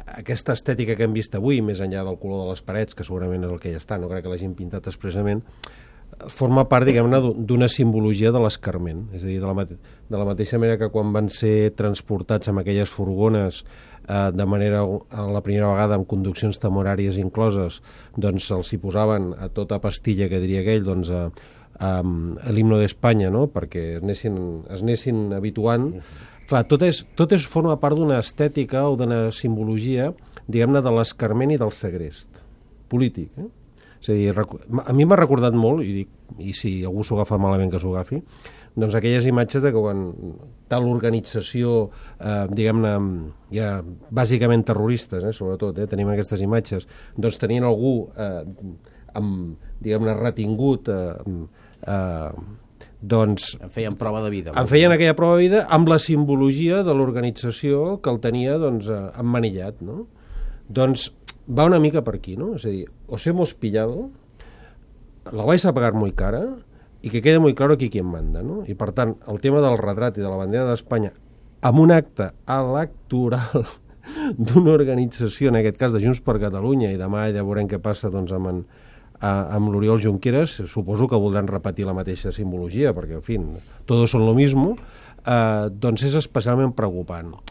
aquesta estètica que hem vist avui, més enllà del color de les parets, que segurament és el que ja està, no crec que l'hagin pintat expressament, forma part, diguem-ne, d'una simbologia de l'escarment. És a dir, de la mateixa manera que quan van ser transportats amb aquelles furgones de manera, la primera vegada, amb conduccions temporàries incloses, doncs els hi posaven a tota pastilla, que diria aquell, doncs l'himno d'Espanya, no?, perquè es anessin habituant. Clar, tot forma part d'una estètica o d'una simbologia, diguem-ne, de l'escarment i del segrest polític. És a dir, a mi m'ha recordat molt, i si algú s'ho agafa malament que s'ho agafi, doncs aquelles imatges de que quan tal organització, diguem-ne, ja bàsicament terroristes, sobretot, tenim aquestes imatges, doncs tenien algú, diguem-ne, retingut, doncs en feien prova de vida. En feien aquella prova de vida amb la simbologia de l'organització que el tenia, doncs, emmanillat, no? Doncs va una mica per aquí, no? És a dir, os hemos pillado, la vais a pagar muy cara y que quede muy claro aquí quién manda, no? I per tant, el tema del retrat i de la bandera d'Espanya amb un acte electoral d'una organització, en aquest cas de Junts per Catalunya, i demà ja veurem què passa, doncs, amb l'Oriol Junqueras, suposo que voldran repetir la mateixa simbologia, perquè, en fi, todos son lo mismo, doncs és especialment preocupant.